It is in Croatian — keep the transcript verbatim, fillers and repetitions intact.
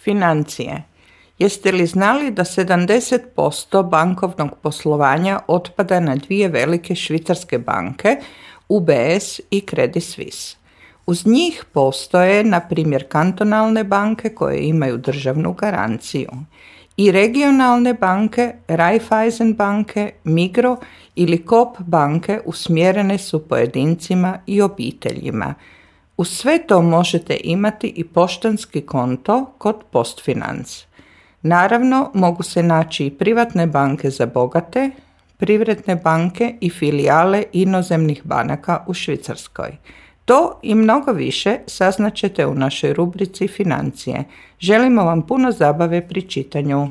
Financije. Jeste li znali da sedamdeset posto bankovnog poslovanja otpada na dvije velike švicarske banke, U B S i Credit Suisse? Uz njih postoje, na primjer, kantonalne banke koje imaju državnu garanciju i regionalne banke, Raiffeisen banke, Migro ili Coop banke usmjerene su pojedincima i obiteljima. Uz sve to možete imati i poštanski konto kod PostFinance. Naravno, mogu se naći i privatne banke za bogate, privredne banke i filijale inozemnih banaka u Švicarskoj. To i mnogo više saznaćete u našoj rubrici Financije. Želimo vam puno zabave pri čitanju.